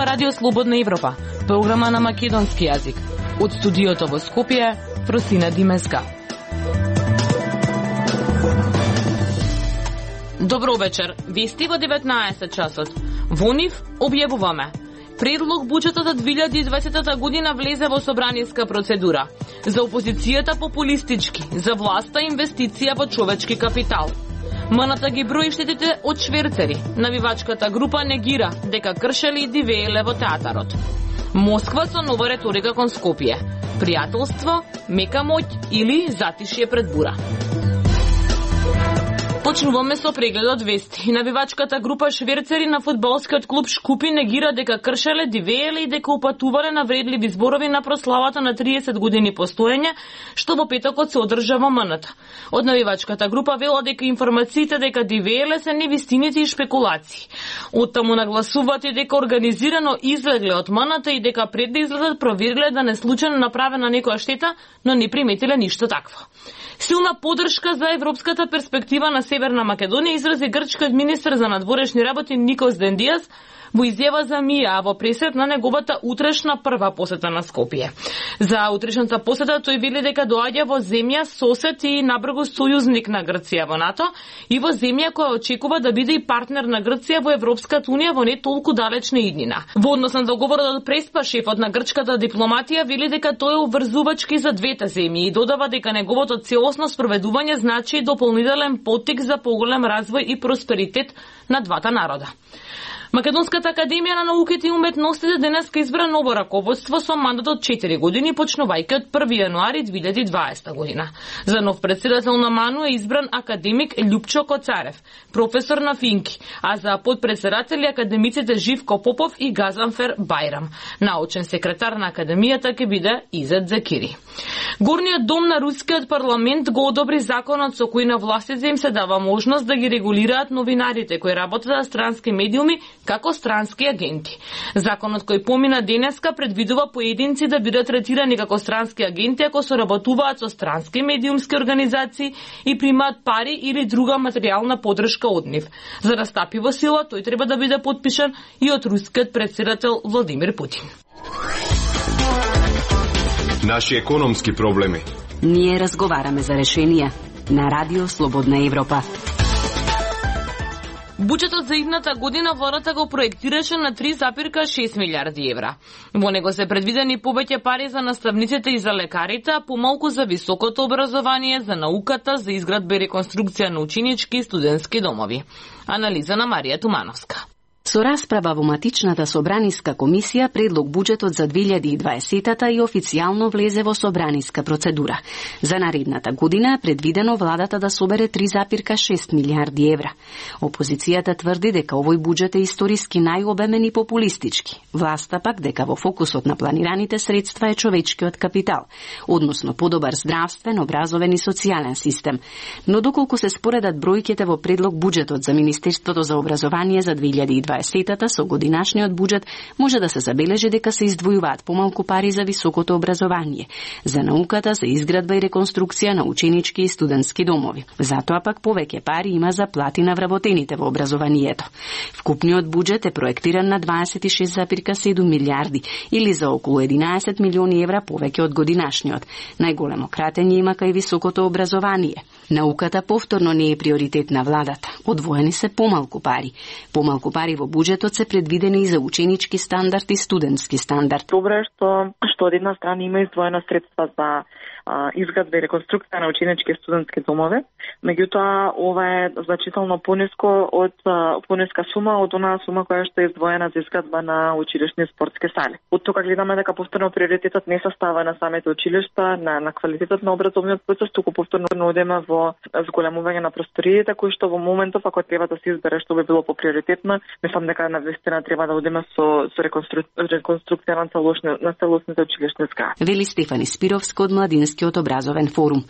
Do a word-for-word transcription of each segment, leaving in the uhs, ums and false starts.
ова Радио Слободна Европа, програма на македонски јазик. Од студиото во Скопје, Фросина Димеска. Добро вечер. Вести во деветнаесет часот. Во нив објавуваме. Предлог буџетот за две илјади и дваесета година влезе во собраниска процедура. За опозицијата популистички, за власта инвестиција во човечки капитал. МНТ ги брои штетите од шверцери. Навивачката група негира дека кршели и дивееле во театарот. Москва со нова реторика кон Скопје. Пријателство, мека моќ или затишје пред бура. Почнуваме со прегледот вести. Навивачката група шверцери на фудбалскиот клуб Шкупи негира дека кршеле, дивееле и дека упатувале на вредливи зборови на прославата на триесет години постоење, што во петокот се одржа во МНТ. Од навивачката група вела дека информациите дека дивееле се невистините и шпекулации. Оттаму нагласуваат и дека организирано излегле од МНТ и дека пред да излезат провериле да не случајно направена некоја штета, но не приметиле ништо такво. Силна поддршка за европската перспектива на Северна Македонија изрази грчкиот министер за надворешни работи Никос Дендијас во изјава за МИА, а во пресет на неговата утрешна прва посета на Скопје. За утрешната посета тој вели дека доаѓа во земја сосед и набргу сојузник на Грција во НАТО и во земја која очекува да биде и партнер на Грција во Европската унија во не толку далечна иднина. Во однос на договорот од Преспа, шефот на грчката дипломатија вели дека тој е обврзувачки за двете земји и додава дека неговото целосно спроведување значи и дополнителен поттик за поголем развој и просперитет на двата народа. Македонската академија на науките и уметностите денеска избра ново раководство со мандат од четири години, почнувајќи од први јануари две илјади и дваесета година. За нов председател на МАНУ е избран академик Љупчо Коцарев, професор на финки, а за подпредседатели академиците Живко Попов и Газанфер Бајрам. Научен секретар на академијата ќе биде Изет Закири. Горниот дом на рускиот парламент го одобри законот со кој на властите им се дава можност да ги регулираат новинарите кои работат на странски медиуми како странски агенти. Законот кој помина денеска предвидува поединци да бидат третирани како странски агенти ако соработуваат со странски медиумски организации и примаат пари или друга материјална поддршка од нив. За да стапи во сила, тој треба да биде потпишан и од рускиот претседател Владимир Путин. Наши економски проблеми. Ние разговараме за решенија на Радио Слободна Европа. Буџетот за идната година владата го проектираше на три запирка шест милијарди евра. Во него се предвидени повеќе пари за наставниците и за лекарите, а помалку за високото образование, за науката, за изградба и реконструкција на ученички и студентски домови. Анализа на Марија Тумановска. Со расправа во матичната собраниска комисија, предлог буџетот за две илјади и дваесета и официјално влезе во собраниска процедура. За наредната година е предвидено владата да собере три запирка шест милијарди евра. Опозицијата тврди дека овој буџет е историски најобемен и популистички. Власта пак дека во фокусот на планираните средства е човечкиот капитал, односно подобар здравствен, образовен и социјален систем. Но доколку се споредат бројките во предлог буџетот за Министерството за образование за две илјади и дваесета со годинашниот буџет може да се забележи дека се издвојуваат помалку пари за високото образование, за науката, за изградба и реконструкција на ученички и студентски домови. Затоа пак повеќе пари има за плати на вработените во образованието. Вкупниот буџет е проектиран на дваесет и шест запирка седум милијарди или за околу единаесет милиони евра повеќе од годинашниот. Најголемо кратење има кај високото образование. Науката повторно не е приоритет на владата. Одвоени се помалку пари. Помалку пари во буџетот се предвидени и за ученички стандард и студентски стандард. Добро е што што од една страна има издвоена средства за а, изградба и реконструкција на ученички и студентски домове, меѓутоа ова е значително пониско од а, пониска сума од онаа сума која што е издвоена за изградба на училишни спортски сали. Од тука гледаме дека повторно приоритетот не се става на самите училишта, на, на квалитетот на образовниот процес, туку повторно одеме во зголемување на просториите, кои што во моментов ако треба да се избере што би било поприоритетно, мислам дека на вистина треба да одиме со со реконстру... реконструкција на целосни на целосните училишни згради. Вели Стефани Спировска од Младинскиот образовен форум.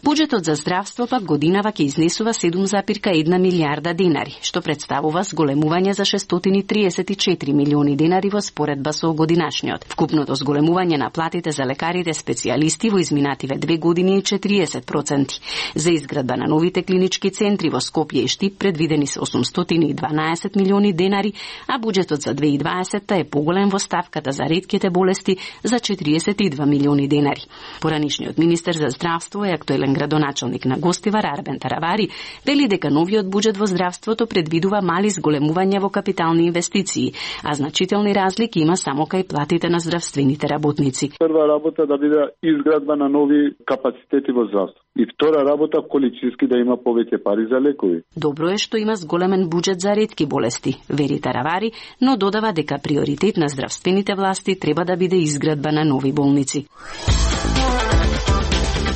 Буџетот за здравство пак годинава ќе изнесува седум запирка една милијарда денари, што представува зголемување за шестстотини и триесет и четири милиони денари во споредба со годинашниот. Вкупното зголемување на платите за лекарите специјалисти во изминативе две години е четириесет проценти. За За изградба на новите клинички центри во Скопје и Штип предвидени се осумстотини и дванаесет милиони денари, а буџетот за две илјади и дваесетта е поголем во ставката за ретките болести за четириесет и два милиони денари. Поранишниот министер за здравство и актуелен градоначалник на Гостивар Арбен Таравари вели дека новиот буџет во здравството предвидува мали зголемувања во капитални инвестиции, а значителни разлики има само кај платите на здравствените работници. Прва работа да биде изградба на нови капацитети во здравство. И втора работа количински да има повеќе пари за лекови. Добро е што има зголемен буџет за ретки болести, вери Таравари, но додава дека приоритет на здравствените власти треба да биде изградба на нови болници.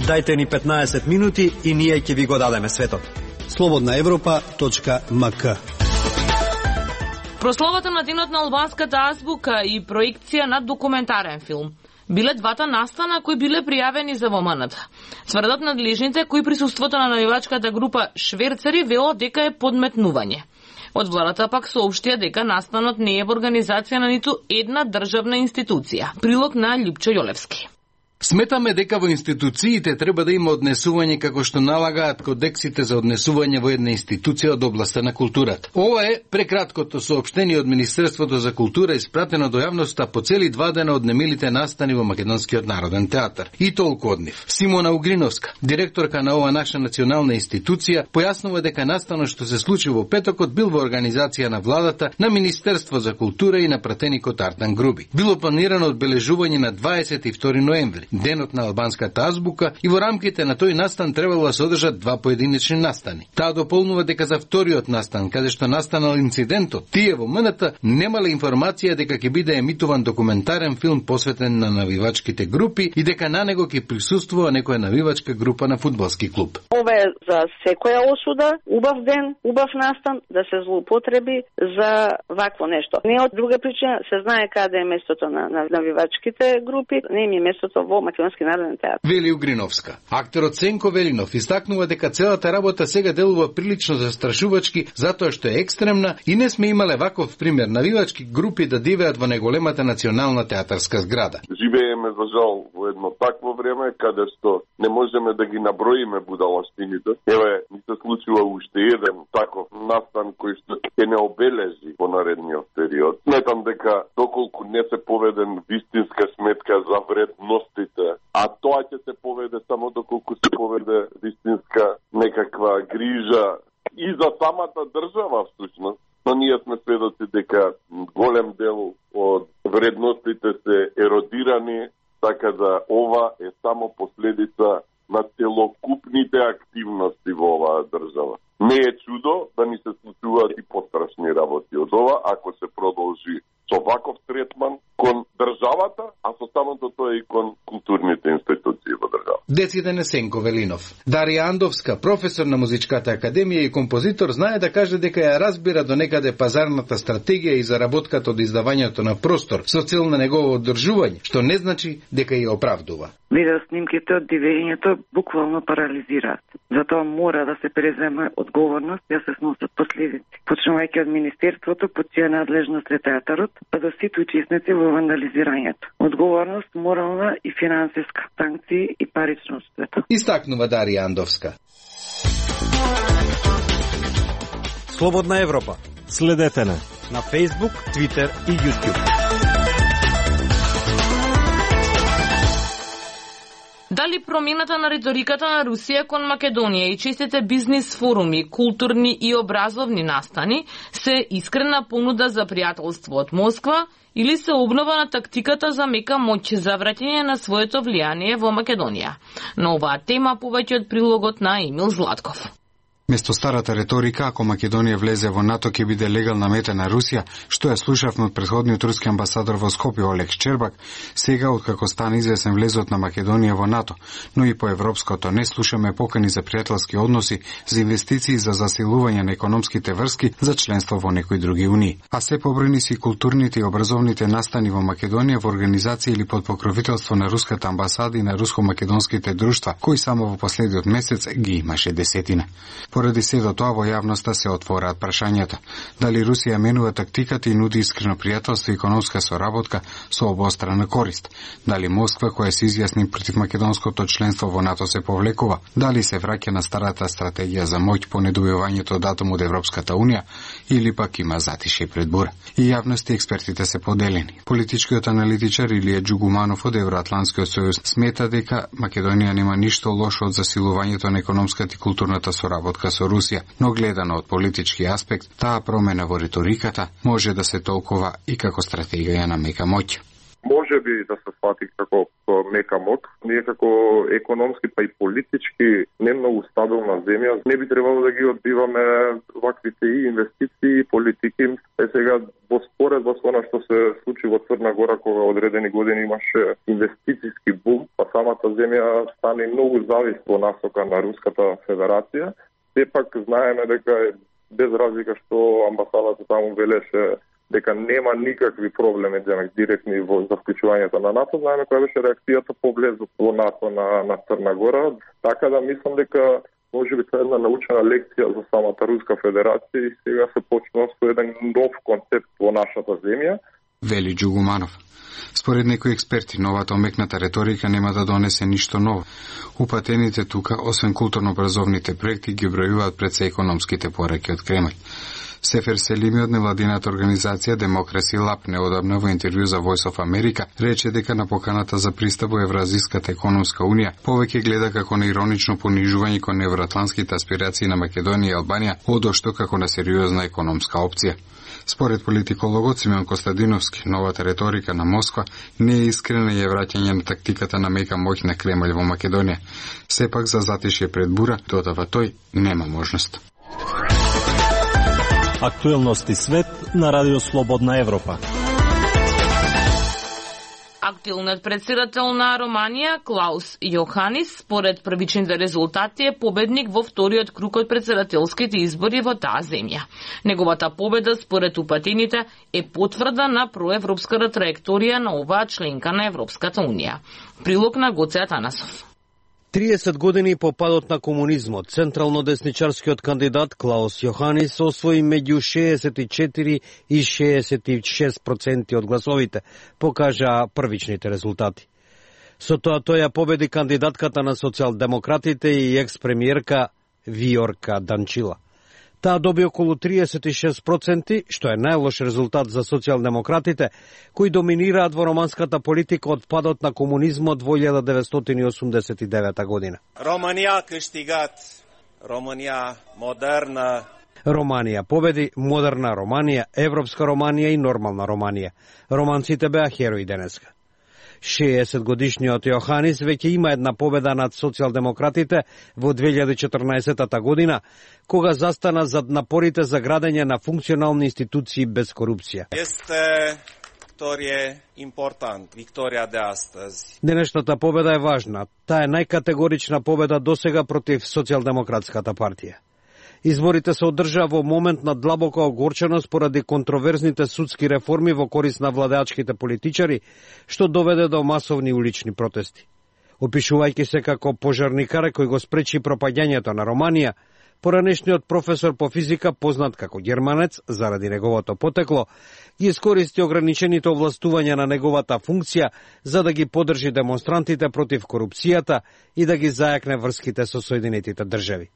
Дајте ни петнаесет минути и ние ќе ви го дадеме светот. слободна европа точка ем ка. Прославата на денот на албанската азбука и проекција на документарен филм биле двата настана кои биле пријавени за Во М Н Т. Тврдат надлежните кои присуството на навивачката група шверцери велат дека е подметнување. Од владата пак соопштија дека настанот не е во организација на ниту една државна институција. Прилог на Љупчо Јолевски. Сметаме дека во институциите треба да има однесување како што налагаат кодексите за однесување во една институција од областа на културата. Ова е прекраткото соопштение од Министерството за култура испратено до јавноста по цели два дена од немилите настани во Македонскиот народен театар. И толку од нив. Симона Угриновска, директорка на ова наша национална институција, појаснува дека настанот што се случи во петокот бил во организација на владата, на Министерство за култура и на пратеникот Артан Груби. Било планирано одбележување на дваесет и втори ноември, денот на албанската азбука, и во рамките на тој настан требало да се одржат два поединечни настани. Таа дополнува дека за вториот настан, каде што настанал инцидентот, тие во М Н Т немале информација дека ќе биде емитуван документарен филм посветен на навивачките групи и дека на него ќе присуствува некоја навивачка група на фудбалски клуб. Ова е за секоја осуда, убав ден, убав настан, да се злоупотреби за вакво нешто. Не од друга причина, се знае каде е местото на, на навивачките групи, не им е местото во Македонски народен театар. Вели Угриновска. Актерот Сенко Велинов истакнува дека целата работа сега делува прилично застрашувачки затоа што е екстремна и не сме имале ваков пример навивачки групи да дивеат во најголемата национална театарска зграда. Живееме за жал во едно такво време каде што не можеме да ги наброиме будалштините. Еве, ни се случува уште еден таков настан кој што ќе не обележи во наредниот период. Сметам дека доколку не се поведен вистинска сметка за вредностите, а тоа ќе се поведе само доколку се поведе вистинска некаква грижа и за самата држава всушност. Но ние сме сведоци дека голем дел од вредностите се еродирани, така да ова е само последица на целокупните активности во оваа држава. Не е чудо да ни се случуваат и пострашни работи од ова, ако се продолжи со ваков третман кон државата, а со самото тоа и кон културните институции во држава. Дециден е Сенко Велинов. Дарија Андовска, професор на Музичката академија и композитор, знае да каже дека ја разбира до некаде пазарната стратегија и заработката од издавањето на простор со цел на негово одржување, што не значи дека ја оправдува. Видео снимките од дивењето буквално парализираат. Затоа мора да се преземе одговорност и да се сносат последици. Почнувајќи од Министерството, под чија надлежност е театарот, па до сите учесници во вандализирањето. Одговорност морална и финансиска, санкции и парично штета. Истакнува Дарија Андовска. Слободна Европа. Следете на на Facebook, Twitter и YouTube. Дали промената на риториката на Русија кон Македонија и честите бизнис форуми, културни и образовни настани се искрена понуда за пријателство од Москва или се обнова на тактиката за мека моќ за враќање на своето влијание во Македонија? На оваа тема повеќе од прилогот на Емил Златков. Место старата риторика, ако Македонија влезе во НАТО, ќе биде легална мета на Русија, што ја слушавме од претходниот руски амбасадор во Скопје Олег Щербак, сега откако стана известен влезот на Македонија во НАТО, но и по европското не слушаме покани за пријателски односи, за инвестиции за засилување на економските врски, за членство во некои други унии. А се побројни си културните и образовните настани во Македонија во организација или под покровителство на руската амбасада и на руско-македонските друштва, кои само во последниот месец ги имаше десетина. Поради сето тоа во јавноста се отвораат прашањата дали Русија менува тактиката и нуди искрено пријателство и економска соработка со обострана корист, дали Москва која се изјасни против македонското членство во НАТО се повлекува, дали се враќа на старата стратегија за моќ по недобивањето датум од Европската унија или пак има затише пред бура. И јавност и експертите се поделени. Политичкиот аналитичар Илија Џугуманов од Евроатлантскиот сојуз смета дека Македонија нема ништо лошо од засилувањето на економската и културната соработка со Русија, но гледано од политички аспект, таа промена во риториката може да се толкова и како стратегија на мека моќ. Може би да се свати како мека моќ. Ние како економски па и политички не многу стабилна земја, не би требало да ги одбиваме ваквите и инвестиции и политики. Е сега во споредба со она што се случи во Црна Гора кога одредени години имаше инвестициски бум, па самата земја стане многу зависна во насока на Руската Федерација. Сепак знаеме дека без разлика што амбасадата таму велеше дека нема никакви проблеми директни во за вклучувањето на НАТО, знаеме која беше реакцијата по влезот во НАТО на, на Црна Гора, така да мислам дека може би тоа е една научена лекција за самата Руска Федерација и сега се почнува со еден нов концепт во нашата земја. Вели Џугуманов. Според некои експерти, новата омекната реторика нема да донесе ништо ново. Упатените тука, освен културно-образовните проекти, ги бројуваат пред се економските пораки од Кремљ. Сефер Селими од невладината организација Демокраси Лаб неодамна во интервју за Voice of America рече дека на поканата за пристап во Евразиската економска унија повеќе гледа како на иронично понижување кон евроатлантските аспирации на Македонија и Албанија, одошто како на сериозна економска опција. Според политикологот Симеон Костадиновски, новата реторика на Москва не е искрена и е враќање на тактиката на мека моќ на Кремљ во Македонија. Сепак за затишје пред бура, додава тој, нема можност. Актуелности свет на Радио Слободна Европа. Актуелниот председател на Романија, Клаус Јоханис, според првичните резултати е победник во вториот круг од председателските избори во таа земја. Неговата победа, според упатените, е потврда на проевропската траекторија на оваа членка на Европската унија. Прилог на Гоце Атанасов. триесет години по падот на комунизмот, централно-десничарскиот кандидат Клаус Јоханис освои меѓу шеесет и четири и шеесет и шест проценти од гласовите, покажаа првичните резултати. Со тоа тој ја победи кандидатката на социјалдемократите и екс-премиерка Виорка Данчила. Таа доби околу триесет и шест проценти, што е најлош резултат за социјалдемократите, кои доминираат во романската политика од падот на комунизмот во илјада деветстотини и осумдесет и девета година. Романија кштигат, Романија модерна. Романија победи, модерна Романија, европска Романија и нормална Романија. Романците беа херои денеска. шеесет годишниот Јоханис веќе има една победа над социјалдемократите во две илјади и четрнаесета година, кога застана зад напорите за градење на функционални институции без корупција. Есте викторија импортант, викторија де астази. Денешната победа е важна. Таа е најкатегорична победа досега против социјалдемократската партија. Изборите се одржаа во момент на длабока огорченост поради контроверзните судски реформи во корист на владеачките политичари, што доведе до масовни улични протести. Опишувајќи се како пожарникар кој го спречи пропаѓањето на Романија, поранешниот професор по физика, познат како германец заради неговото потекло, ги искористи ограничените овластувања на неговата функција за да ги поддржи демонстрантите против корупцијата и да ги зајакне врските со Соединетите држави.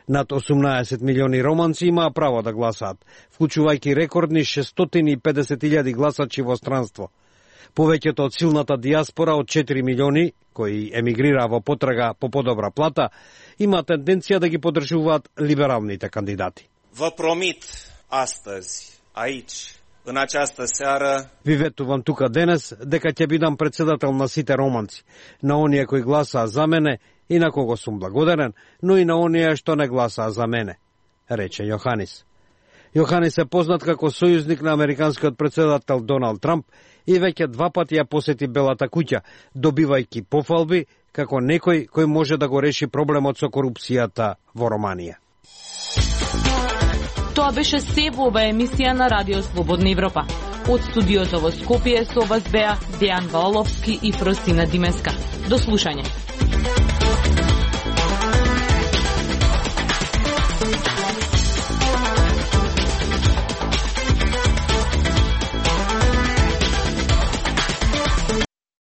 Над осумнаесет милиони романци имаа право да гласаат, вклучувајќи рекордни шестстотини и педесет илјади гласачи во странство. Повеќето од силната диаспора од четири милиони, кои емигрираа во потрага по подобра плата, има тенденција да ги поддржуваат либералните кандидати. Во промит астази, аич, în această seară, ви ветувам тука денес дека ќе бидам председател на сите романци, на оние кои гласаа за мене и на кого сум благодарен, но и на оние што не гласаа за мене, рече Јоханис. Јоханис е познат како сојузник на американскиот председател Доналд Трамп и веќе два пати ја посети Белата куќа, добивајќи пофалби како некој кој може да го реши проблемот со корупцијата во Романија. Тоа беше се во оваа емисија на Радио Слободна Европа. Од студиото во Скопје со вас беа Дејан Валовски и Фростина Димеска. До слушање.